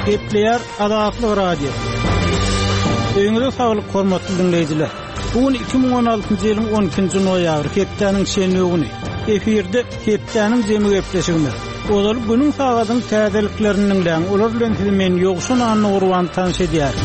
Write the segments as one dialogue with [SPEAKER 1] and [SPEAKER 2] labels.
[SPEAKER 1] Gepleýär Azatlyk Radiosy. Öýüňize saglyk hormatly diňleýjiler. Bu gün 2016-njy ýylyň 12-nji noýabry, hepdäniň şenbe güni. Efirde hepdäniň jemi gepleşigimiz. Ozaly günüň sagadyň täzeliklerini diňläň, olar bilen sizi men Ýowşan Annagurban tanyş edýärin.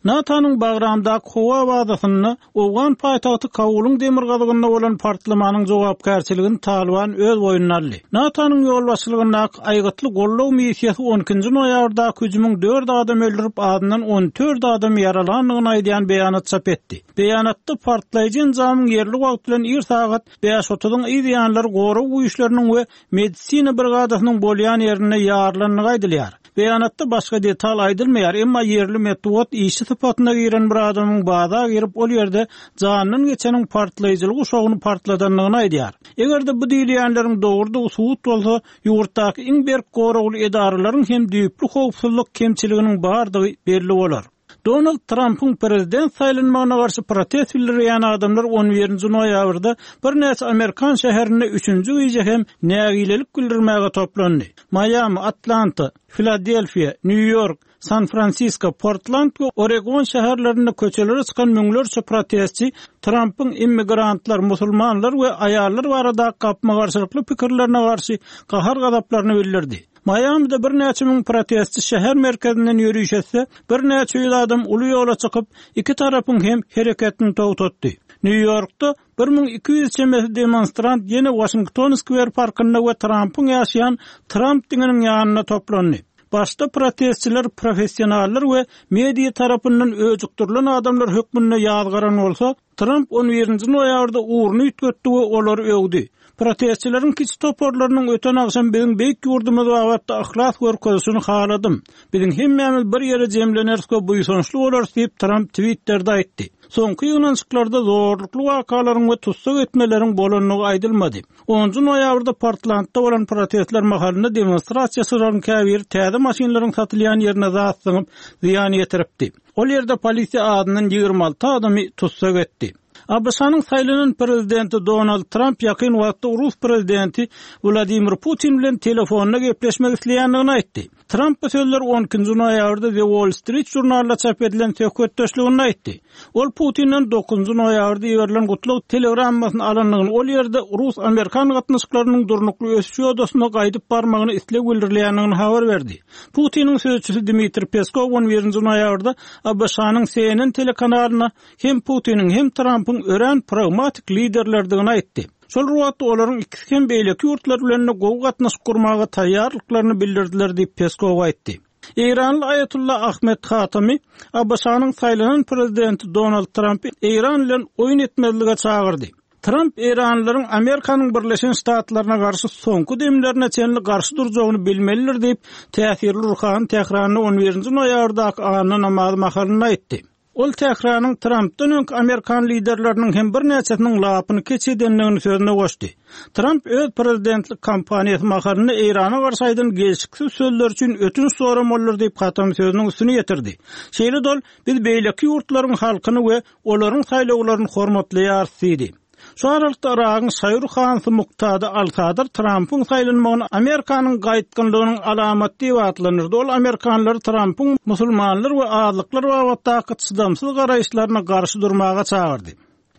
[SPEAKER 1] NATO-nyň Bagramdaky howa bazasynda Owgan paýtagty Kabulyň demirgazygynda bolan partlamanyň jogapkärçiligini Talyban öz boýnuna aldy. NATO-nyň ýolbaşçylygyndaky Aýgytly goldaw missiýasy on ikinji noýabrdaky hüjümiň dört adam öldürip, azyndan 14 adamy ýaralandygyny aýdýan beýanat çap etdi. Beýanatda partlaýjy enjamyň ýerli wagt bilen ir sagat bäş otuzyň yz ýanlary gorag güýçleriniň we medisina brigadasynyň bolýan ýerinde ýarylandygy aýdylýar. Beýanatda başga detal aýdylmaýar, emma ýerli metbugat işçi sypatynda giren bir adamyň baza girip, ol ýerde janyndan geçeniň partlaýjyly guşagyny partladandygyny aýdýar. Eger-de bu diýilýänleriň dogrudygy subut bolsa, ýurtdaky iň berk goragly edaralaryň hem düýpli howpsuzlyk kemçiliginiň bardygy belli bolar. Donald Trampyň prezident saýlanmagyna garşy protest bildirýän adamlar on birinji noýabrda birnäçe amerikan şäherinde üçünji gije hem nägilelik bildirmäge toplandy. Maýami, Atlanta, Filadelfiýa, Nýu-Ýork, San-Fransisko, Portland we Oregon şäherlerinde köçelere çykan müňlerçe protestçi Trampyň immigrantlar, musulmanlar we aýallar baradaky gapma-garşylykly pikirlerine garşy gahar-gazaplaryny bildirdi. Maýamide birnäçe müň protestçi şäher merkezinden ýöriş etse, birnäçe ýüz adam uly ýola çykyp, iki tarapyň hem hereketini togtatdy. Nýu-Ýorkda 1200 çemesi demonstrant ýene Waşington Skwer parkynda we Trampyň ýaşaýan Tramp diňiniň ýanynda toplandy. Başda protestçiler professionallar we media tarapyndan öjükdirilen adamlar hökmünde ýazgaran bolsa, Tramp on birinji noýabrda ugruny üýtgetdi we olary öwdi. Protestçileriň kiçi toparlarynyň öten agşam biziň beýik ýurdumyz babatda yhlas görkezişini haladym. Biziň hemmämiz bir ýere jemleneris we buýsançly bolarys diýip, Tramp Twitterde aýtdy. Soňky ýygnanyşyklarda zorlukly wakalaryň we tussag etmeleriň bolandygy aýdylmady. Onunjy noýabrda Portlandda bolan protestler mahalynda demonstrasiýaçylaryň käbiri täze maşynlaryň satylýan ýerine zat zyňyp, zyýan ýetiripdi. Ol ýerde polisiýa azyndan 26 adamy tussag etdi. ABŞ-nyň saýlanan prezidenti Donald Tramp ýakyn wagtda rus prezidenti Wladimir Putin bilen telefonda gepleşmek isleýändigini aýtdy. Tramp bu sözleri on ikinji noýabrda The Wall Street žurnalynda çap edilen söhbetdeşliginde aýtdy. Ol Putinden dokuzynjy noýabrda iberilen gutlag telegrammasyny alandygyny, ol ýerde rus-amerikan gatnaşyklarynyň durnukly ösüş ýodasyna gaýdyp barmagyna isleg bildirilýändigini habar berdi. Putiniň sözçüsi Dmitriý Peskow on birinji noýabrda ABŞ-nyň CNN telekanalyna hem Putiniň, hem Trampyň örän pragmatik liderlerdigini aýtdy. Şol bir wagtda olaryň ikisi hem beýleki ýurtlar bilen-de gowy gatnaşyk gurmaga taýýarlyklaryny bildirdiler diýip, Peskow aýtdy. Eýranly aýatolla Ahmed Hatami ABŞ-nyň saýlanan prezidenti Donald Trampy Eýran bilen oýun etmezlige çagyrdy. Tramp eýranlylaryň Amerikanyň Birleşen Ştatlaryna garşy soňky demlerine çenli garşy durjagyny bilmelidir diýip, täsirli ruhany Tähranda on birinji noýabrdaky anna namazy mahalynda aýtdy. Ol Tähranyň Trampdan öňki amerikan liderleriniň hem birnäçesiniň lapyny keç edendigini sözüne goşdy. Tramp öz prezidentlik kampaniýasy mahalynda Eýrana garşy aýdan gelşiksiz sözleri üçin ötünç soramalydyr diýip, Hatami sözüniň üstüni ýetirdi. Şeýle-de ol, Biz beýleki ýurtlaryň halkyny we olaryň saýlawlaryny hormatlaýarys diýdi. Şu aralykda Yragyň şaýur hansy Muktada al-Sadr Trampyň saýlanmagyny Amerikanyň gaýtgynlygynyň alamaty diýip atlandyrdy. Ol amerikanlary Trampyň musulmanlar we azlyklar babatdaky çydamsyz garaýyşlaryna garşy durmaga çagyrdy.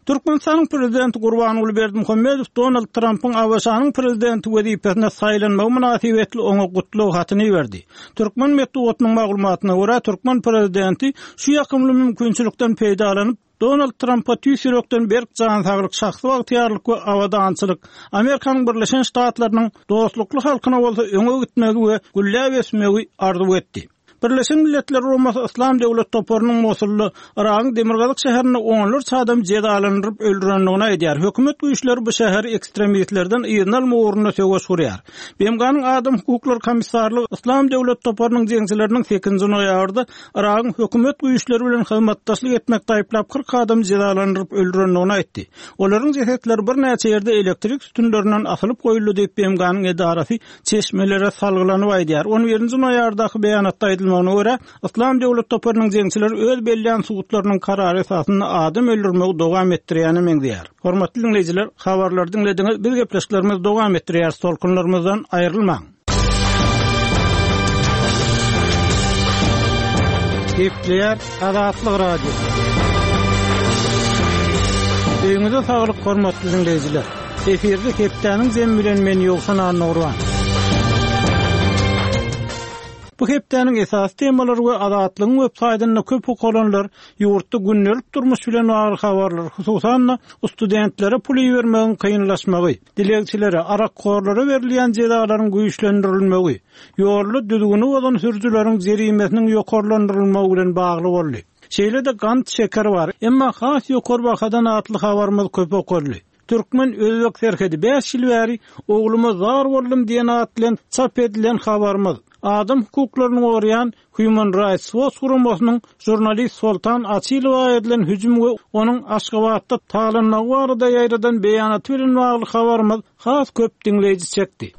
[SPEAKER 1] Türkmenistanyň Prezidenti Gurbanguly Berdimuhamedow Donald Trampyň ABŞ-nyň Prezidenti wezipesine saýlanmagy mynasybetli oňa gutlag hatyny iberdi. Türkmen metbugatynyň maglumatyna görä, türkmen prezidenti şu ýakymly mümkinçilikden peýdalanyp, Donald Trampa tüýs ýürekden berk jan saglyk, şahsy bagtyýarlyk we abadançylyk, Amerikanyň Birleşen Ştatlarynyň dostlukly halkyna bolsa öňe gitmegi we gülläp ösmegi arzuw etdi. Birleşen Milletler Guramasy Yslam döwlet toparynyň Mosulda, Yragyň demirgazyk şäherinde onlarça adamy jezalandyryp öldürendigini aýdýar. Hökümet güýçleri bu şäheri ekstremistlerden yzyna almak ugrunda söweş gurýar. BMG-niň Adam hukuklary komissarlygy Yslam döwlet toparynyň jeňçileriniň sekizinji noýabrda Yragyň hökümet güýçleri bilen hyzmatdaşlyk etmekde aýyplap 40 adamy jezalandyryp öldürendigini aýtdy. Olaryň jesetleri birnäçe ýerde elektrik sütünlerinden asylyp goýuldy diýip, BMG-niň edarasy çeşmelere salgylanyp aýdýar. On birinji noýabrdaky beýanatda aýdylmagyna görä, Yslam döwlet toparynyň jeňçileri öz bellän sudlarynyň karary esasynda adam öldürmegi dowam etdirýäne meňzeýär. Hormatly diňleýjiler, habarlary diňlediňiz, biz gepleşiklerimizi dowam etdirýäris, tolkunlarymyzdan aýrylmaň! Gepleýär Azatlyk Radiosy. Öýüňize saglyk hormatly diňleýjiler. Efirde hepdäniň jemi bilen men Ýowşan Annagurban. Bu hepdäniň esasy temalary we Azatlygyň web saýtynda köp okalanlar ýurtda gündelik durmuş bilen bagly habarlar, hususan-da, studentlere pul ibermegiň kynlaşmagy, dilegçilere, arakhorlara berilýän jezalaryň güýçlendirilmegi, ýolda düzgüni bozan sürüjileriň jerimesiniň ýokarlandyrylmagy bilen bagly boldy. Şeýle-de gant, şeker bar, emma has ýokary bahadan atly habarymyz köp okaldy. Türkmen-özbek serhedi bäş ýyl bäri ogluma zar boldum diýen at bilen çap edilen habarymyz, adam hukuklaryny goraýan Human Rights Watch guramasynyň žurnalist Soltan Açylowa edilen hüjüm we onuň Aşgabatda talanmagy barada ýaýradan beýanaty bilen bagly habarymyz has köp diňleýji çekdi.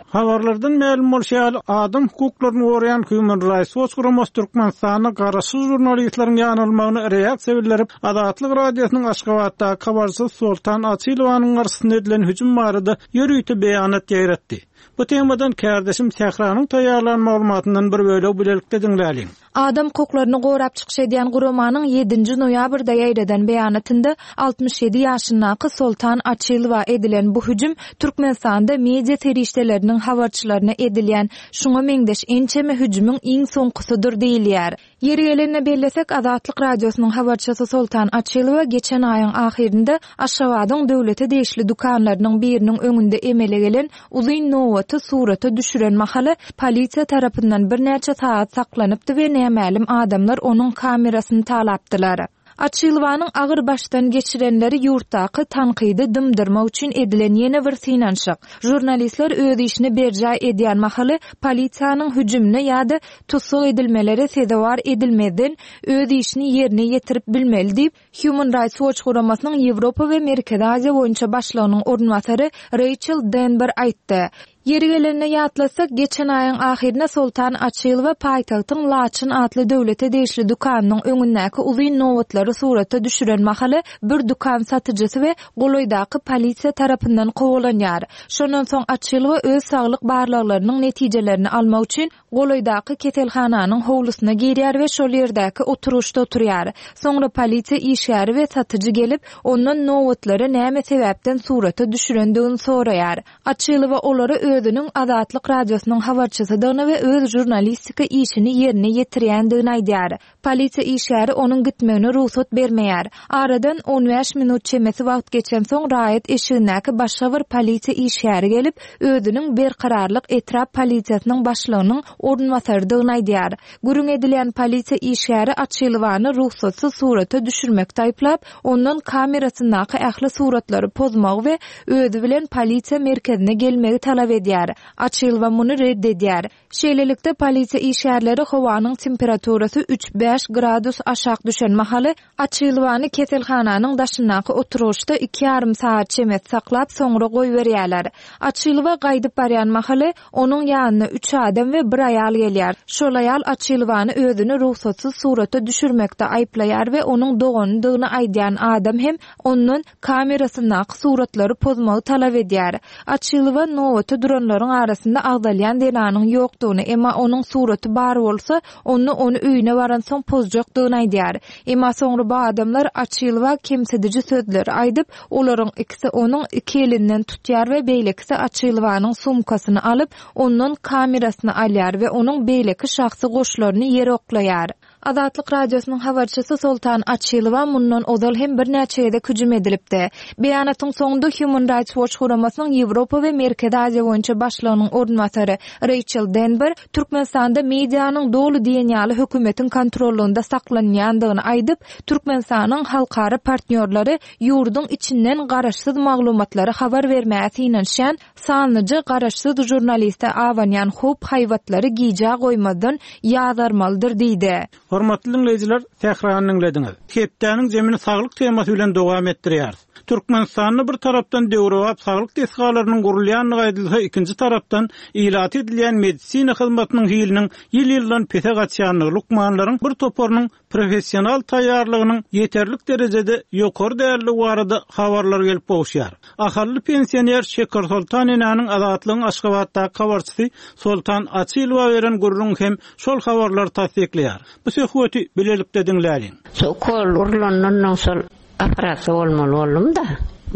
[SPEAKER 1] Habarlardan mälim bolşy ýaly, adam hukuklaryny goraýan Human Rights Watch guramasy Türkmenistanda garaşsyz žurnalistleriň ýanalmagyna reaksiýa bildirip, Azatlyk Radiosynyň Aşgabatdaky habarçysy Soltan Açylowanyň garşysyna edilen hüjüm barada ýörite beýanat ýaýratdy. Bu temadan kärdeşim Sähranyň taýýarlan maglumatyndan bir bölegi bilelikde diňläliň.
[SPEAKER 2] Adam hukuklaryny gorap çykyş edýän guramanyň ýedinji noýabrda ýaýradan beýanatynda 67 ýaşyndaky Soltan Açylowa edilen bu hüjüm Türkmenistanda media serişdeleriniň habarçylaryna edilýän şuňa meňzeş ençeme hüjümiň iň soňkusydyr diýilýär. Ýeri gelende bellesek, Azatlyk Radiosynyň habarçysy Soltan Açylowa geçen aýyň ahyrynda Aşgabadyň döwlete degişli dükanlarynyň biriniň öňünde emele gelen uzyn nobaty surata düşüren mahaly polisiýa tarapyndan birnäçe sagat saklanypdy we nämälim adamlar onuň kamerasyny talapdylar. Açylowanyň agyr başdan geçirenleri ýurtdaky tankydy dymdyrmak üçin edilen ýene bir synanyşyk. Žurnalistler öz işini berjaý edýän mahaly polisiýanyň hüjümine ýa-da tussag edilmelere sezewar edilmezden öz işini ýerine ýetirip bilmeli diýip, Human Rights Watch guramasynyň Ýewropa we Merkezi Aziýa boýunça başlygynyň orunbasary Reýçel Denber aýtdy. Ýeri gelende ýatlatsak, geçen aýyň ahyrynda Soltan Açylowa paýtagtyň Laçyn atly döwlete degişli dükanynyň öňündäki uzyn nobatlary surata düşüren mahaly bir dükan satyjysy we golaýdaky polisiýa tarapyndan kowalanýar. Şondan soň Açylowa öz saglyk barlaglarynyň netijelerini almak üçin golaýdaky keselhananyň howlusyna girýär we şol ýerdäki oturgyçda oturýar. Soňra polisiýa işgäri we satyjy gelip, ondan nobatlary näme sebäpden surata düşürendigini soraýar. Açylowa olara özüniň Azatlyk Radiosynyň habarçysydygyny we öz žurnalistika işini ýerine ýetirýändigini aýdýar. Polisiýa işgäri onuň gitmegine rugsat bermeýär. Aradan on bäş minut çemesi wagt geçensoň raýat eşigindäki başga bir polisiýa işgäri gelip, özüniň Berkararlyk etrap polisiýasynyň başlygynyň orunbasarydygyny aýdýar. Gürrüň edilýän polisiýa işgäri Açylowany rugsatsyz surata düşürmekde aýyplap, ondan kamerasyndaky ähli suratlary pozmagy we özi bilen polisiýa merkezine gelmegi talap edýär. Açylowa muny ret edýär. Şeýlelikde, polisiýa işgärleri howanyň temperaturasy üç-bäş gradus aşak düşen mahaly Açylowany keselhananyň daşyndaky oturgyçda iki ýarym sagat çemesi saklap, soňra goýberýärler. Açylowa gaýdyp barýan mahaly, onuň ýanyna üç adam we bir aýal gelýär. Şol aýal Açylowany özüni rugsatsyz surata düşürmekde aýyplaýar we onuň doganydygyny aýdýan adam hem ondan kamerasyndaky suratlary pozmagy talap edýär. Açylowa nobata duranlaryň arasynda agzalýan zenanyň ýokdugyny, emma onuň suraty bar bolsa, onda ony öýüne baransoň pozjakdygyny aýdýar. Emma soňra bu adamlar Açylowa kemsidiji sözleri aýdyp, olaryň ikisi onuň iki elinden tutýar we beýlekisi Açylowanyň sumkasyny alyp, ondan kamerasyny alýar we onuň beýleki şahsy goşlaryny ýere oklaýar. Azatlyk Radiosynyň habarçysy Soltan Açylowa mundan ozal hem birnäçe gezek hüjüm edilipdi. Beýanatyň soňunda Human Rights Watch guramasynyň Ýewropa we Merkezi Aziýa boýunça başlygynyň orunbasary Reýçel Denber Türkmenistanda medianyň doly diýen ýaly hökümetiň kontrollygynda saklanýandygyny aýdyp, Türkmenistanyň halkara partnýorlary ýurduň içinden garaşsyz maglumatlary habar bermäge synanyşýan Sanlyja garaşsyz žurnaliste abanýan howp-haýbatlary gijä goýmazdan ýazgarmalydyr diýdi.
[SPEAKER 1] Hormatly diňleýjiler, Sährany diňlediňiz. Hepdäniň jemini saglyk temasy bilen dowam etdirýäris. Türkmenistanda bir tarapdan döwrebap saglyk desgalarynyň gurulýandygy aýdylsa, ikinji tarapdan ilata edilýän medisina hyzmatynyň hiliniň ýyl-ýyldan pese gaçýandygy, lukmanlaryň bir toparynyň professional taýýarlygynyň ýeterlik derejede ýokary däldigi barada habarlar gelip gowuşýar. Ahally pensioner Şekersoltan enäniň Azatlygyň Aşgabatdaky habarçysy Soltan Açylowa beren gürrüňi hem şol habarlary tassyklaýar. Bu söhbeti bilelikde diňläliň.
[SPEAKER 3] Şu ukol urlandan soň Operasiýa bolmaly boldum-da.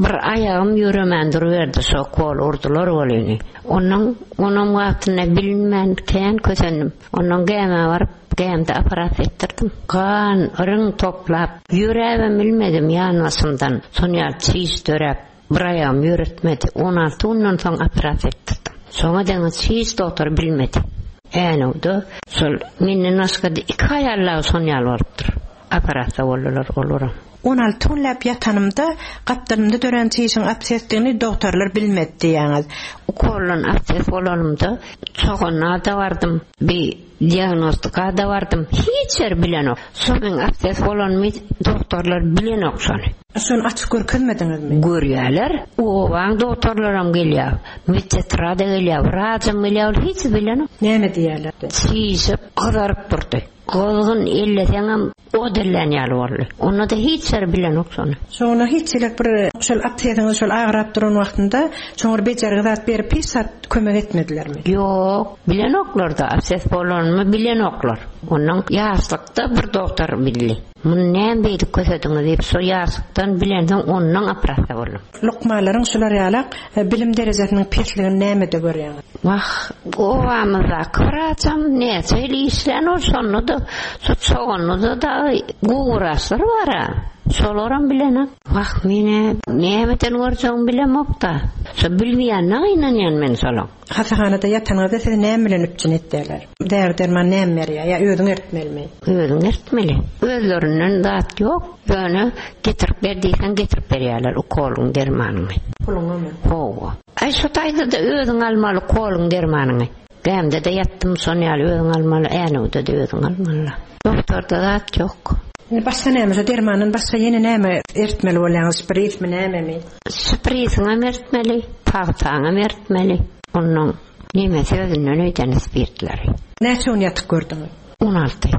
[SPEAKER 3] Bir aýagym ýöremän duruberdi, şo ukol urdular welin. Onnoň onam wagtynda bilinmän kän kösendim. Onnoň gämä baryp, gämde operasiýa etdirdim. Gan, iriň toplap, ýöräbem bilmedim ýanbaşymdan. Şon ýaly çiş döräp, bir aýagym ýöretmedi. 16 günden soň operasiýa etdirdim. Şoňa deňiç hiç dogtor bilmedi. Änewde şol menden başga-da iki aýal dagy şon ýaly bolupdyr. Operasiýa boldular olaram.
[SPEAKER 4] 16 günläp ýatanymda, gapdalymda dörän çişiň absesdigini dogtorlar bilmedi diýýäňiz.
[SPEAKER 3] Ukoldan abses bolanymda Çoganna-da bardym, bi diagnostika-da bardym, hiç ýer bilenok. Şo meň abses bolanymy dogtorlar bilenok şony.
[SPEAKER 4] Şony açyp görkezmediňizmi?
[SPEAKER 3] Görýäler. Obaň dogtorlaram gelýär, medsestra-da gelýär, wraçam gelýär, ol hiç bilenok.
[SPEAKER 4] Näme diýýärler?
[SPEAKER 3] Çişip, gyzaryp durdy. Gyzgyn elleseňem ot ellän ýaly boldy. Onda-da hiç ýeri bilenok şony.
[SPEAKER 4] Şoňa hiç hili bir şol absesiňiz şol agyrap duran wagtynda şoňa bir bejergi zat berip hiç zat kömek etmedilermi?
[SPEAKER 3] Ýok, bilenoklar-da, abses bolanymy bilenoklar. Onnoň ýaşlykda bir dogtor bildi. Muny näme beýdip kösediňiz diýip şo ýaşlykdan bilensoň onnoň operasiýa boldum.
[SPEAKER 4] Lukmanlaryň şular ýalak bilim derejesiniň pesligini nämede görýäňiz?
[SPEAKER 3] Wah, obamyzdaky wraçam näçe ýyl işlän ol, şonda-da şu Çoganlyda dagy gowy wraçlar bar-a, şolaram bilenok. Wah, men-ä nämeden görjegimi bilemok-da. Şo bilmeýänine gynanýan men şolaň.
[SPEAKER 4] Hassahanada ýatanyňyzda sizi näme bilen üpjün etýärler? Däri-derman näme berýär ýa özüň eritmelimi?
[SPEAKER 3] Özüň eritmeli. Özlerinden zat ýok, ýöne getirip ber diýseň getirip berýärler ukolyň dermanyňy.
[SPEAKER 4] Puluňamy?
[SPEAKER 3] Hawa. Aý şo taýda-da özüň almaly ukolyň dermanyňy. Gämde-de ýatdym şon ýaly özüň almaly, Änewde-de özüň almaly. Dogtorda zat ýok.
[SPEAKER 4] Indi başga näme, şo dermandan başga ýene näme eritmeli bolýaňyz, şprismi nämemi?
[SPEAKER 3] Şprisiňem eritmeli, pagtaňam eritmeli. Onnoň nemesi özünden öýden spirtleri.
[SPEAKER 4] Näçe gün ýatyp gördüňiz?
[SPEAKER 3] 16.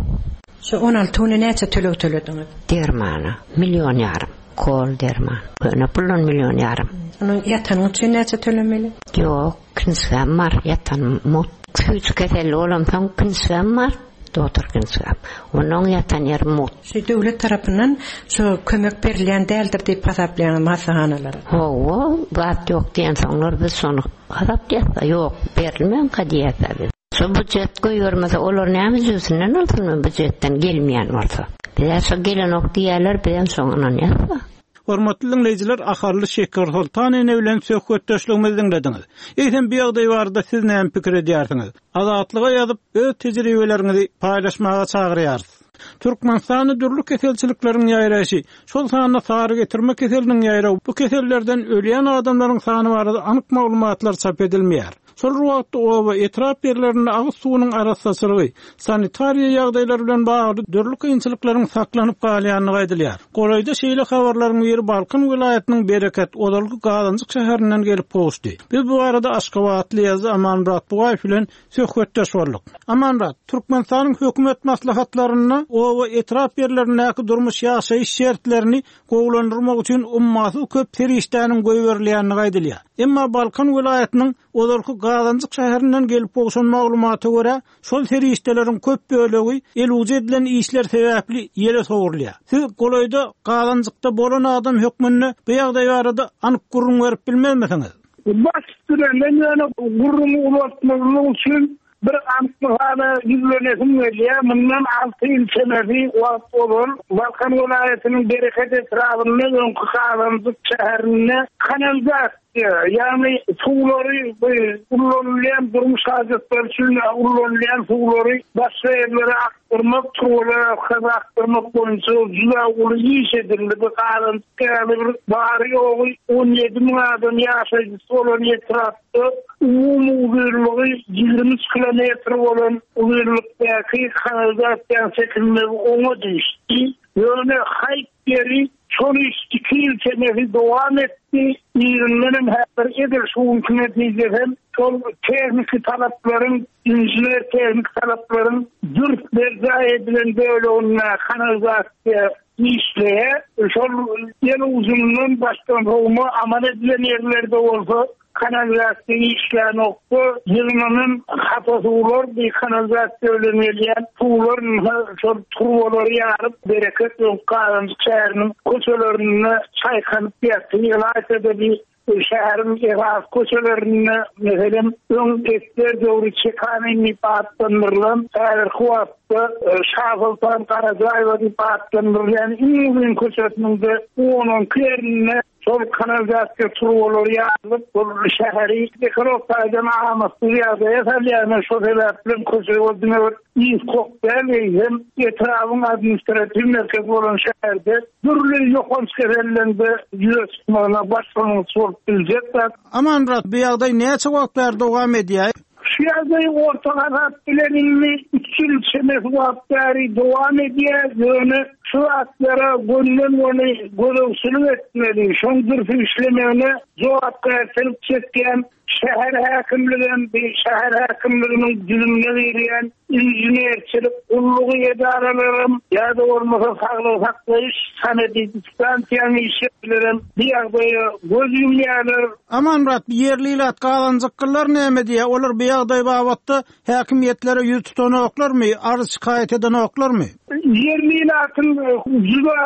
[SPEAKER 4] Şu 16 güne näçe töleg tölediňiz?
[SPEAKER 3] Dermana million ýarym. Kol derman. Köne puldan million ýarym.
[SPEAKER 4] Onuň ýatanyň üçin näçe tölemeli?
[SPEAKER 3] Ýok, kinişgäm bar, ýatanym mugt. Süýji keselli bolamsoň kinişgäm bar, dogtor kinişgäm. Onuň ýatan ýeri mugt.
[SPEAKER 4] Şu döwlet tarapyndan şu kömek berilýän däldir diýip hasaplaýaňyzmy hassahanalara?
[SPEAKER 3] Hawa, zat ýok diýensoňlar biz şony hasaplaýas-da, ýok, berilmänka diýýäs-ä biz. Şo býujet goýbermese olar näme jübüsinden alsyn býujetden gelmeýän bolsa. Bizä şo gelenok diýýärler bizem şoňa ynanýas-da.
[SPEAKER 1] Hormatly diňleýjiler Ahally Şekersoltan ene bilen söhbetdeşligimizi diňlediňiz. Eýsem bu ýagdaý barada siz näme pikir edýärsiňiz? Azatlyga ýazyp öz tejribeleriňizi paýlaşmaga çagyrýarys. Türkmenistanda dürli keselçilikleriň ýaýraýşy, şol sanda sary getirme keseliniň ýaýrawy, bu kesellerden ölýän adamlaryň sany barada anyk maglumatlar çap edilmeýär. Şol bir wagtda oba, etrap ýerlerinde agyz suwunyň arassaçylygy, sanitariýa ýagdaýlary bilen bagly dürli kynçylyklaryň saklanyp galýandygy aýdylýar. Golaýda şeýle habarlaryň biri Balkan welaýatynyň Bereket, ozalky Gazanjyk şäherinden gelip gowuşdy. Biz bu barada aşgabatly ýazyjy Amanmyrat Bugaýew bilen söhbetdeş bolduk. Amanmyrat, Türkmenistanyň hökümet maslahatlarynda oba, etrap ýerlerindäki durmuş-ýaşaýyş şertlerini gowulandyrmak üçin ummasyz köp serişdäniň goýberilýändigi aýdylýar. Emma Balkan welaýatynyň ozalky Gazanjyk şäherinden gelip gowşan maglumata görä, şol serişdeleriň köp bölegi elujy edilen işler sebäpli ýele sowrulýar. Siz golaýda Gazanjykda bolan adam hökmünde bu ýagdaý barada anyk gürrüň berip bilmezmisiňiz?
[SPEAKER 5] Baş üstüne, men ýöne gürrüňi uzaltmazlyk üçin Bir anyk mysala ýüzlenesim gelýär. Mundan alty ýyl çemesi wagt ozal Balkan welaýatynyň Bereket etrabynda öňki Gazanjyk şäherinde kanalizasiýa, ýagny suwlary bu ullanylýan durmuş hajatlary üçin ullanylýan suwlary başga ýerlere akdyrmak, turbalar arkaly akdyrmak boýunça juda uly iş edildi. Bu Gazanjyk ýaly bir bary-ýogy 17 müň adam ýaşaýjysy bolan etrapda. Umumy uzynlygy 23 kilometr bolan uzynlykdaky kanalizasiýanyň çekilmegi oňa düşdi. Ýöne haýp ýeri şol iş iki ýyl çemesi dowam etdi. Yzyndanam häzir edil şu günki netijesem şol tehniki talaplaryň, inžener-tehniki talaplaryň dürs berjaý edilen böleginde kanalizasiýa işleýär. Şol el ujundan başdan sowma amal edilen ýerlerde bolsa kanalizasiýa işlänokda, ýygnanan hapa suwlar bir kanalizasiýa bilen gelýän suwlar şol turbalary ýaryp, Bereket we Gazanjyk şäheriniň köçelerinde çaýkanyp ýatdy. Ylaýta-da bir şäheriň esasy köçelerinde, meselem, öň esger döwri Çekanin diýip atlandyrylan, häzirki wagtda Şasoltan Garajaýewa diýip atlandyrylýan iň uzyn köçesiniň-de on-on iki ýerinde Şol kanalizasiýa turbalary ýarylyp, ol şäheri ekolog taýdan amatsyz ýagdaýa salýar. Ine, şo sebäpli köçe ol diňe bir ys-kok däl, eýsem, etrabyň administratiw merkezi bolan şäherde dürli ýokanç keselleň-de ýüze çykmagyna başlangyç bolup biljek zat.
[SPEAKER 1] Amanmyrat, bu ýagdaý näçe wagt bäri dowam edýär?
[SPEAKER 5] Şu ýagdaý orta hasap bilen indi üç ýyl çemesi wagt bäri dowam edýär, ýöne şu zatlara gönden-göni gözegçilik etmeli, şoň dürs işlemegine jogapkärçilik çekýän şäher häkimligem, bi şäher häkimliginiň düzümine girýän inženerçilik gullugy edaralaram ýa-da bolmasa saglygy saklaýyş sanepidstansiýanyň işgärlerem bu ýagdaýa göz ýumýarlar.
[SPEAKER 1] Amanmyrat, bu ýerli ilat gazanjyklylar näme diýýär? Olar bu ýagdaý babatda häkimiýetlere ýüz tutanoklarmy, arz-şikaýat edenoklarmy?
[SPEAKER 5] Ýerli ilatyň juda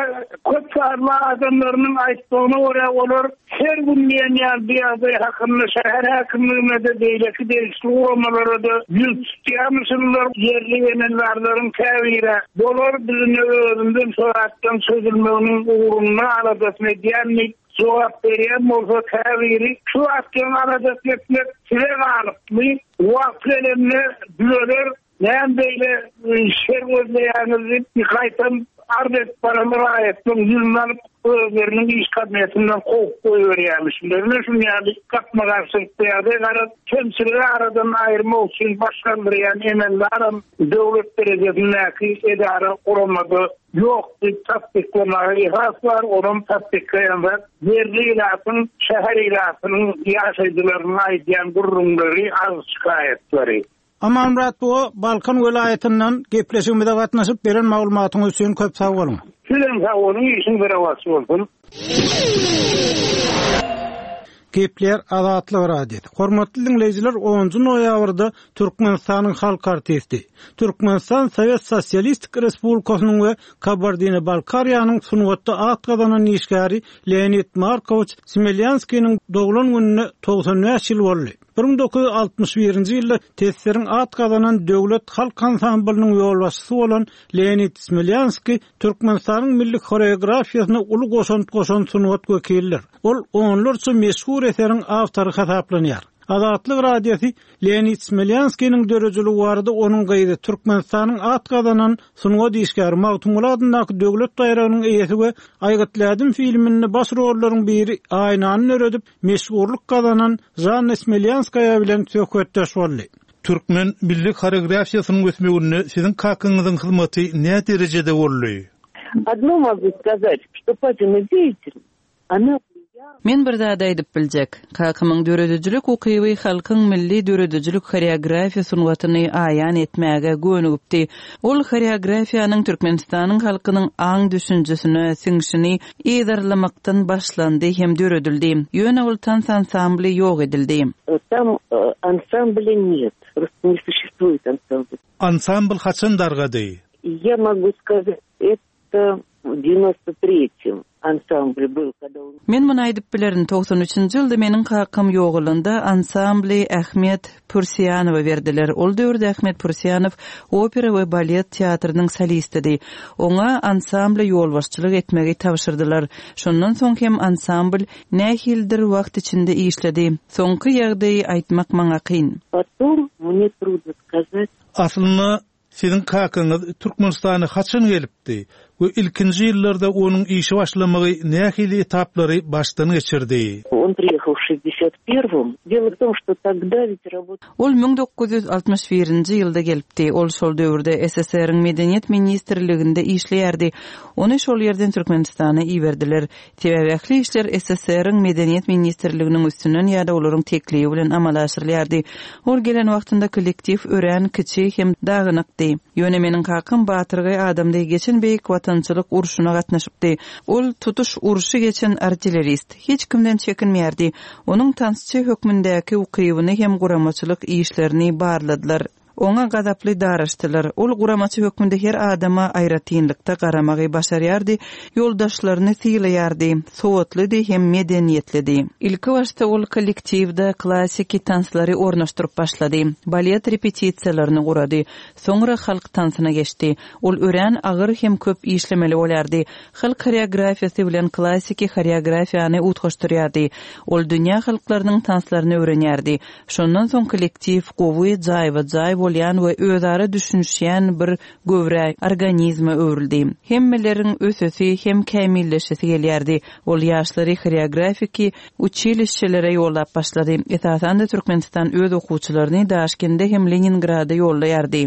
[SPEAKER 5] köp sanly adamlarynyň aýtmagyna görä, olar her gün diýen ýaly bu ýagdaý hakynda şäher häkimligine-de, beýleki degişli guramalara-da ýüz tutýarmyşynlar. Ýerli emeldarlaryň käbiri bolar, biz indi özümizem şo zatlaryň çözülmeginiň ugrunda aladasyny edýän diýip jogap berýän bolsa, käbiri şu zatlaryň aladasyny etmek size galypmy, wagty gelende düzeler, Näme beýle şer gözleýäňiz diýip, gaýtam arz edip baran raýatlaryň ýüzüni alyp, özleriniň iş kabinetinden kowup goýberýärmişler. Ine, şunuň ýaly gapma-garşylykly ýagdaý. Garaz, kemçiligi aradan aýyrmak üçin baş galdyrýan emeldaram döwlet derejesindäki edara, guramada ýok diýip tassyklamaga esas bar. Onam tassyklaýan zat ýerli ilatyň, şäher ilatynyň ýaşaýjylarynyň aýdýan gürrüňleri, arz-şikaýatlary.
[SPEAKER 1] Amanmyrat buga Balkan welaýatyndan gepleşigimize gatnaşyp beren maglumatyňyz üçin köp sag boluň.
[SPEAKER 5] Sizem sag boluň işiňiz rowaç bolsun.
[SPEAKER 1] Gepleýär Azatlyk Radiosy. Hormatly diňleýjiler onunjy noýabrda Türkmenistanyň halk artisti, Türkmenistan Sowet Sosialistik Respublikasynyň we Kabardino-Balkariýanyň sungatda at gazanan işgäri Leonid Markowiç Smelýanskiniň doglan gününe 95 ýyl boldy. 1961-nji ýylda TSSR-iň at gazanan döwlet halk ansamblynyň ýolbaşçysy bolan Leonid Smelýanskiý Türkmenistanyň milli horeografiýasyna uly goşant goşan sungat wekilidir. Ol onlarça meşhur eseriň awtory hasaplanýar. Azatlyk Radiosy Leonid Smelýanskiniň döredijiligi barada onuň gyzy, Türkmenistanyň at gazanan sungat işgäri, Magtymguly adyndaky döwlet baýragynyň eýesi we Aýgytly ädim filminde baş rollaryň biri Aýnany döredip, meşhurlyk gazanan Žanna Smelýanskaýa bilen söhbetdeş boldy.
[SPEAKER 6] Türkmen milli horeografiýasynyň ösmeginde siziň kakaňyzyň hyzmaty nä derejede boldy?
[SPEAKER 7] Odno mogu skazat, çto papina deýatelnost, ona
[SPEAKER 8] Men bir zady aýdyp biljek. Kakamyň döredijilik ukyby halkyň milli döredijilik horeografiýa sungatyny aýan etmäge gönügipdi. Ol horeografiýanyň Türkmenistanyň halkynyň aň-düşünjesine siňşini yzarlamakdan başlandy hem döredildi. Ýöne ol tans ansambly ýok edildi.
[SPEAKER 7] Tam ansamblya net, prosto ne suşestvuet ansambl.
[SPEAKER 6] Ansambl haçan dargady?
[SPEAKER 7] Ýa mogu skazat, eto w dewnostr tretem ansambl byl, kada on.
[SPEAKER 8] Men muny aýdyp bilerin, 93-nji ýylda meniň kakam ýogalanda ansambly Ahmet Pürsiýanowa berdiler. Ol döwürde Ahmet Pürsiýanow opera we balet teatrynyň solistidi. Oňa ansambla ýolbaşçylyk etmegi tabşyrdylar. Şondan soň hem ansambl nähilidir wagt içinde işledi. Soňky ýagdaýy aýtmak maňa kyn.
[SPEAKER 7] Potom mne trudno skazat.
[SPEAKER 6] Aslynda siziň kakaňyz Türkmenistana haçan gelipdi? gelipdi we ilkinji ýyllarda onuň işe başlamagy nähili etaplary başdan geçirdi?
[SPEAKER 7] On priýehal w şestdesýat perwom. Delo w tom, şto togda wit rabot.
[SPEAKER 8] Ol 1961-nji ýylda gelipdi. Ol şol döwürde SSR-iň Medeniýet ministrliginde işleýärdi. Ony şol ýerden Türkmenistana iberdiler. Sebäbi ähli işler SSR-iň Medeniýet ministrliginiň üstünden ýa-da olaryň teklibi bilen amala aşyrylýardy. Ol gelen wagtynda kollektiw örän kiçi hem dagynykdy. Ýöne meniň kakam batyrgaý adamdy, geçen Beýik Watançylyk urşuna gatnaşypdy. Ol tutuş urşy geçen artillerist. Hiç kimden çekinmeýärdi. Onuň tansçy hökmündäki ukybyny hem guramaçylyk işlerini barladylar. Oňa gazaply daraşdylar. Ol guramaçy hökmünde her adama aýratynlykda garamagy başarýardy, ýoldaşlaryny sylaýardy, sowatlydy hem medeniýetlidi. Ilkibaşda ol kollektiwde klassiki tanslary ornaşdyryp başlady, balet repetisiýalaryny gurady, soňra halk tansyna geçdi. Ol örän agyr hem köp işlemeli bolýardy. Halk horeografiýasy bilen klassiki horeografiýany utgaşdyrýardy. Ol dünýä halklarynyň tanslaryny öwrenýärdi. Şondan soň kollektiw gowy, jaýba-jaý bolýan we özara düşünişýän bir göwrä, organizme öwrüldi. Hemmeleriň ösesi hem kämilleşesi gelýärdi. Ol ýaşlary horeografiki uçilişşelere ýollap başlady. Esasan-da Türkmenistan öz okuwçylaryny Daşkende hem Leningrada ýollaýardy.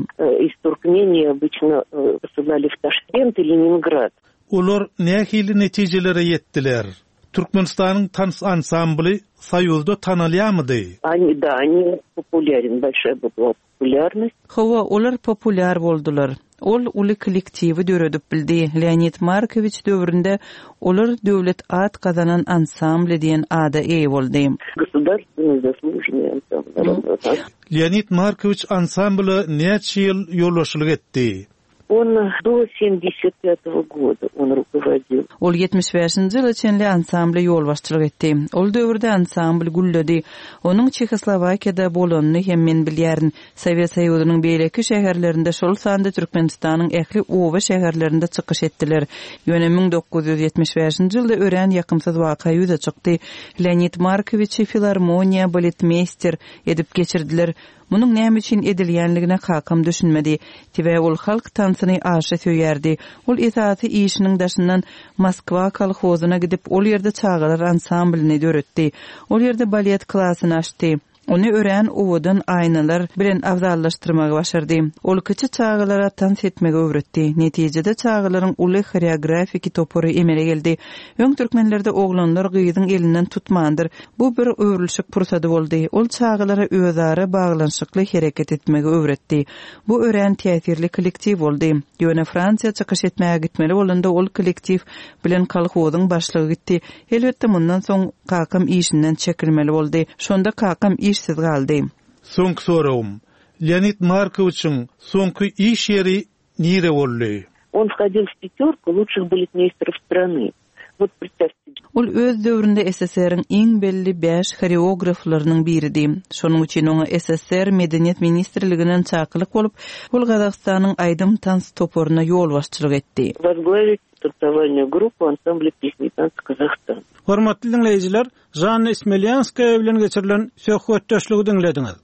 [SPEAKER 7] Iz Turkmenii obyçno posylali w Taşkent i Leningrad.
[SPEAKER 6] Olar nähili netijelere ýetdiler? Türkmenistanyň tans ansambly Soýuzda tanalýarmydy?
[SPEAKER 7] Oni, da, oni populýaren, bolşaýa byla populýarnost.
[SPEAKER 8] Hawa, olar populýar boldular. Ol uly kollektiwi döredip bildi. Leonid Markowiç döwründe olar döwlet at gazanan ansambly diýen ada eýe boldy.
[SPEAKER 7] Gosudarstwennyý zaslužennyý ansambl.
[SPEAKER 6] Leonid Markowiç ansambla näçe ýyl ýolbaşçylyk etdi?
[SPEAKER 7] On do semdesýat pýatogo goda on rukovodil.
[SPEAKER 8] Ol 75-nji ýyla çenli ansambla ýolbaşçylyk etdi. Ol döwürde ansambl gülledi. Onuň Çehoslowakiýada bolanyny hem men bilýärin. Sowet Soýuzynyň beýleki şäherlerinde, şol sanda Türkmenistanyň ähli oba-şäherlerinde çykyş etdiler. Ýöne 1975-nji ýylda örän ýakymsyz waka ýüze çykdy. Leonid Markowiçi filarmoniýa baletmeýster edip geçirdiler. Munuň näme üçin edilýänligine kakam düşünmedi. Sebäbi ol halk tansyny aşa söýýärdi. Ol esasy işiniň daşyndan Moskwa kolhozyna gidip, ol ýerde çagalar ansamblyny döretdi. Ol ýerde balet klasyny açdy. Ony örän owadan aýnalar bilen abzallaşdyrmagy başardy. Ol kiçi çagalara tans etmegi öwretdi. Netijede çagalaryň uly horeografiki topary emele geldi. Öň türkmenlerde oglanlar gyzyň elinden tutmandyr. Bu bir öwrülişik pursady boldy. Ol çagalara özara baglanyşykly hereket etmegi öwretdi. Bu örän täsirli kollektiw boldy. Ýöne Fransiýa çykyş etmäge gitmeli bolanda ol kollektiw bilen kolhozyň başlygy gitdi. Elbetde mundan soň kakam işinden çekilmeli boldy. Şonda kakam işsiz galdy.
[SPEAKER 6] Soňky soragym. Leonid Markowiçiň soňky iş ýeri Nire boldy?
[SPEAKER 7] On whodil w pýatýorku lutşih baletmeýsterov strany. Wot predstawte.
[SPEAKER 8] Ol öz döwründe SSR-iň iň belli bäş horeograflarynyň biridi. Şonuň üçin oňa SSR Medeniýet ministrliginden çakylyk bolup, ol Gazagystanyň aýdym-tans toparyna ýolbaşçylyk etdi.
[SPEAKER 7] Возглавить танцевальную группу ансамбля песни и танца Казахстан.
[SPEAKER 1] Hormatly diňleýjiler, Žanna Smelýanskaýa bilen geçirilen söhbetdeşligi diňlediňiz.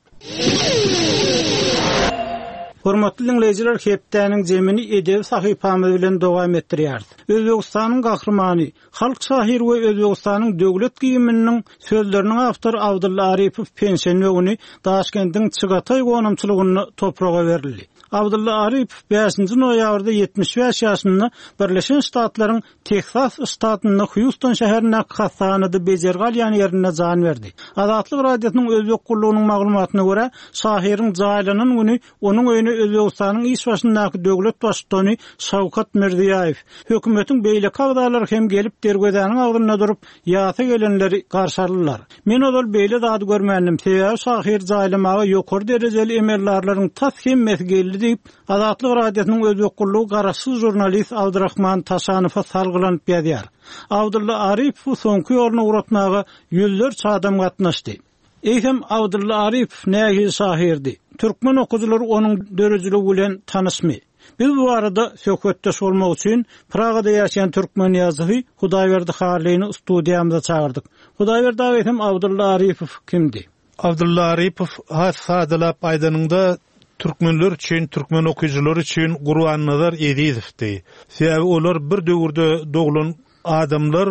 [SPEAKER 1] Hormatly diňleýjiler, hepdäniň jemini edebi sahypamyz bilen dowam etdirýäris. Özbegistanyň Gahrymany, halk şahyry we Özbegistanyň döwlet gimniniň sözleriniň awtory Abdylla Arypow penşenbe güni Daşkendiň Çygataý gonamçylygynda topraga berildi. Abdylla Arypow bäşinji noýabrda 75 ýaşynda Birleşen Ştatlaryň Teksas ştatynda Hýuston şäherindäki hassahanada bejergi alýan ýerinde jan berdi. Azatlyk Radiosynyň Özbek gullugynyň maglumatyna görä, şahyryň jaýlanan güni onuň öýüne Özbegistanyň iş başyndaky döwlet baştutany Şawkat Mirziýaýew, hökümetiň beýleki agzalary hem gelip derwezäniň agzynda durup, ýasa gelenleri garşy aldylar. Men ozal beýle zady görmändim, sebäbi şahyry jaýlamaga ýokary derejeli emeldarlaryň tas hemmesi geldi diýip, Azatlyk Radiosynyň Özbek gullugy garaşsyz žurnalist Abdyrahman Taşanowa salgylanyp ýazýar. Abdylla Arypowy soňky ýoluna ugratmaga ýüzlerçe adam gatnaşdy. Eýsem, Abdylla Arypow nähili şahyrdy? Türkmen okyjylary onuň döredijiligi bilen tanyşmy? Biz bu barada söhbetdeş bolmak üçin Pragada ýaşaýan türkmen ýazyjysy Hudaýberdi Hallyny studiýamyza çagyrdyk. Hudaýberdi aga eýsem Abdylla Arypow kimdi?
[SPEAKER 6] Abdylla Arypow has sadalap aýdanyňda. türkmenler üçin, türkmen okyjylary üçin Gurbannazar Ezizowdy. Sebäbi olar bir döwürde doglan adamlar,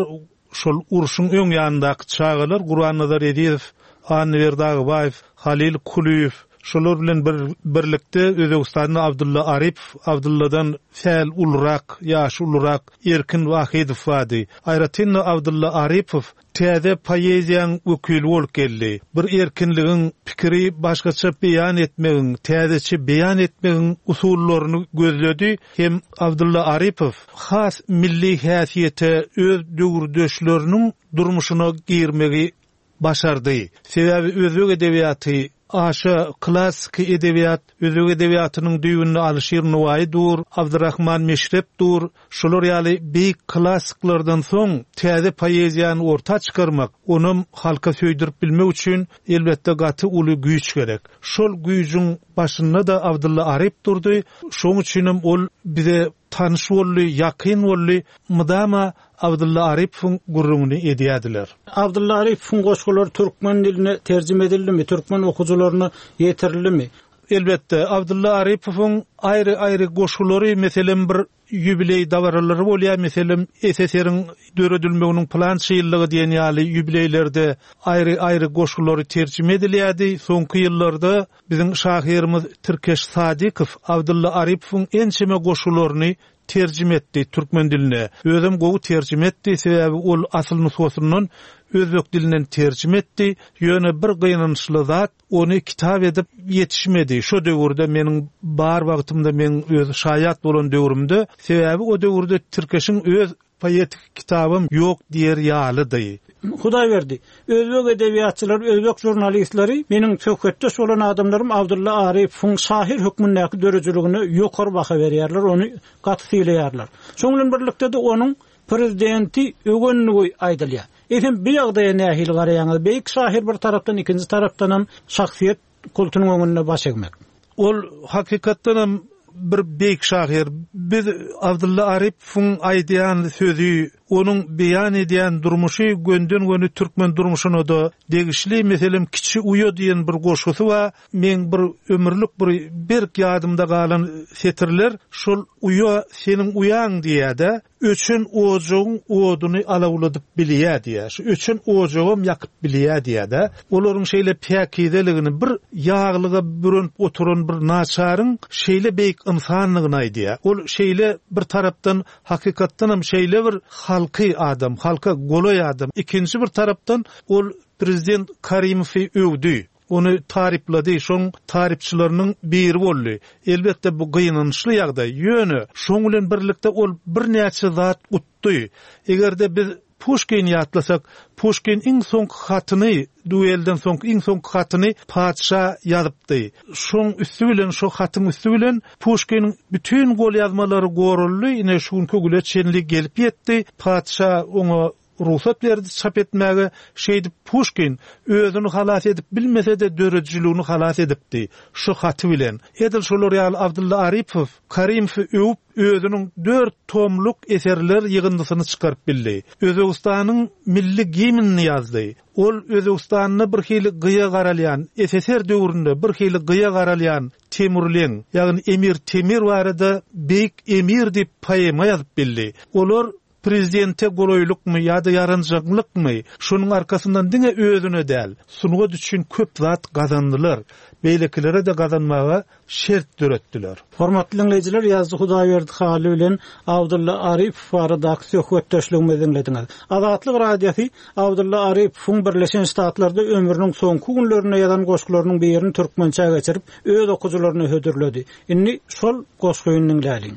[SPEAKER 6] şol urşuň öň ýanyndaky çagalar Gurbannazar Ezizow, Annaberdi Agbaýew, Halyl Kulyýew, şolar bilen bir birlikde Özbegistanda Abdylla Arypow, Abdylladan sähel ulurak, ýaşy ulurak Erkin Wahydow bardy. Aýratyn-da Abdylla Arypow Täze poeziýaň wekili bolup geldi. Bir erkinligiň, pikiri başgaça beýan etmegiň, täzeçe beýan etmegiň usullaryny gözledi hem Abdylla Arypow has milli häsiýete öz döwürdeşleriniň durmuşyna girmegi başardy. Sebäbi özbek edebiýaty Aşa klassyky edebiýat, özbek edebiýatynyň düýbünde Alyşir Nowaýy dur, Abdyrahman Meşrep dur. Şular ýaly beýik klassyklardan soň täze poeziýany orta çykarmak, onam halka söýdürip bilmek üçin, elbetde, gaty uly güýç gerek. Şol güýjüň başynda-da Abdylla Aryp durdy. Şoň üçinem ol bize tanyş boldy, ýakyn boldy. Mydama Abdylla Arypowyň gürrüňini edýärdiler.
[SPEAKER 1] Abdylla Arypowyň goşgulary türkmen diline terjime edildimi, türkmen okyjylaryna ýetirildimi?
[SPEAKER 6] Elbetde, Abdylla Arypowyň aýry-aýry goşgulary, meselem, bir ýubileý dabaralary bolýar, meselem, SSR-iň döredilmeginiň pylança ýyllygy diýen ýaly ýubileýlerde aýry-aýry goşgulary terjime edilýärdi. Soňky ýyllarda biziň şahyrymyz Tirkeş Sadykow Abdylla Arypowyň ençeme goşgularyny Terjime etdi türkmen diline. Özem gowy terjime etdi, sebäbi ol asyl nusgasyndan özbek dilinden terjime etdi. Ýöne bir gynançly zat, ony kitap edip ýetişmedi. Şo döwürde meniň bar wagtymda, meň öz şaýat bolan döwrümde, sebäbi o döwürde Tirkeşiň öz poetik kitabam ýok diýer ýalydy.
[SPEAKER 1] Hudaýberdi, özbek edebiýatçylary, özbek žurnalistleri meniň söhbetdeş bolan adamlarym Abdylla Arypowyň şahyr hökmündäki döredijiligine ýokary baha berýärler, ony gaty sylaýarlar. Şonuň bilen birlikde-de onuň prezidenti öwendigi aýdylýar. Eýsem, bu ýagdaýa nähili garaýaňyz? Beýik şahyr bir tarapdan, ikinji tarapdanam şahsyýet kultunyň öňünde baş egmek.
[SPEAKER 6] Ol hakykatdanam bir beýik şahyr. Biz Abdylla Arypowyň aýdýan sözi, onuň beýan edýän durmuşy gönden-göni türkmen durmuşyna-da degişli. Meselem, Kiçi uýa diýen bir goşgusy bar. Meň bir ömürlik bir berk ýadymda galan setirler şol uýa seniň uýaň diýýär-de. Öçen ojagyň oduny alawladyp bilýä diýýä. Şu öçen ojagam ýakyp bilýä diýýä-dä. Olaryň şeýle päkizeligini, bir ýaglyga bürenip oturan bir naçaryň şeýle beýik ynsandygyny aýdýa. Ol şeýle bir tarapdan hakykatdanam şeýle bir halky adam, halka golaý adam. Ikinji bir tarapdan ol prezident Karimowy öwdi. Ony taryplady, şoň tarypçylarynyň biri boldy. Elbetde, bu gynançly ýagdaý. Ýöne, şoň bilen birlikde ol birnäçe zat utdy. Eger-de biz Puşkini ýatlasak, Puşkin iň soňky hatyny, duelden soňky iň soňky hatyny patyşa ýazypdy. Şoň üsti bilen, şo hatyň üsti bilen Puşkiniň bütin golýazmalary goraldy, ine, şu günki güne çenli gelip ýetdi. Patyşa oňa Rugsat berdi çap etmäge, şeýdip Puşkin özüni halas edip bilmese-de döredijiligini halas edipdi, şu haty bilen. Edil şolar ýaly Abdylla Arypow Karimowy öwüp özüniň dört tomluk eserler ýygyndysyny çykaryp bildi. Özbegistanyň milli gimnini ýazdy. Ol Özbegistanda bir hili gyýa garalýan, SSR döwründe bir hili gyýa garalýan Temurleň, ýagny Emir Temir barada Beýik Emir diýip poema ýazyp bildi. Olar Prezidente golaýlykmy ýa-da ýaranjaňlykmy, şonuň arkasyndan diňe özüne däl, sungat üçin köp zat gazandylar, beýlekilere-de gazanmaga şert döretdiler.
[SPEAKER 1] Hormatly diňleýjiler, ýazyjy Hudaýberdi Hally bilen Abdylla Arypow baradaky söhbetdeşligimizi diňlediňiz. Azatlyk Radiosy Abdylla Arypowyň Birleşen Ştatlarda ömrüniň soňky günlerinde ýazan goşgularynyň birini türkmençä geçirip, öz okyjylaryna hödürledi. Indi şol goşgyny diňläliň.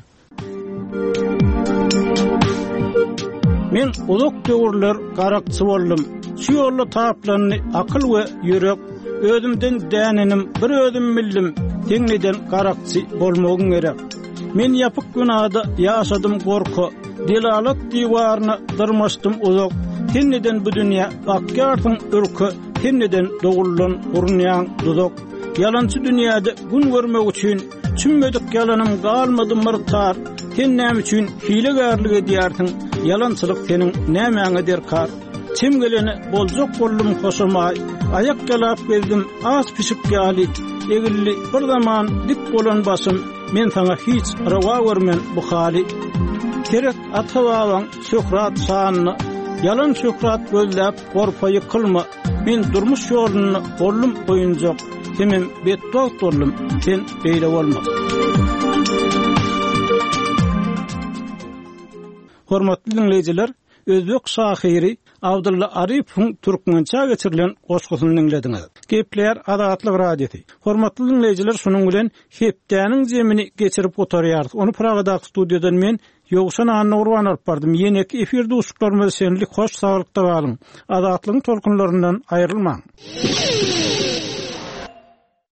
[SPEAKER 1] Men uzak döwürler garakçy boldum. Şu ýolda taplandy akyl we ýürek. Özümden dänenim bir özüm bildim. Seň neden garakçy bolmagyň gerek? Men ýapyk binada ýaşadym gorka. Delalat diwaryna dyrmaşdym uzak. Sen neden bu dünýä bakýarsyň ürke? Sen neden doguldan gurunýaň duzak? Ýalançy dünýäde gün görmek üçin Çümmedik ýalanym galmady myrtar. Sen näme üçin hilegärlik edýärsiň? Ýalançylyk seniň nämäňe derkar? Çem gelene boljak boldum hoşamaý, Aýak ýalap gezdim aç pişik ýaly, Egildi bir zaman dik bolan başym, Men saňa hiç rowa görmen bu haly. Seret ata-babaň şöhrat şanyna, Ýalan şöhrat gözläp gorpa ýykylma. Men durmuş ýolunda boldum oýunjak, Hemem betbagt boldum, sen beýle bolma. Hormatly diňleýjiler, özbek şahyry Abdylla Arypowyň türkmençä geçirilen goşgusyny diňlediňiz. Gepleýär Azatlyk Radiosy. Hormatly diňleýjiler, şunuň bilen hepdäniň jemini geçirip gutarýarys. Ony Pragadaky studiýadan men, Ýowşan Annagurban alyp bardym. Ýeneki efir duşuşyklarymyza çenli hoş saglykda galyň. Azatlygyň tolkunlaryndan aýrylmaň.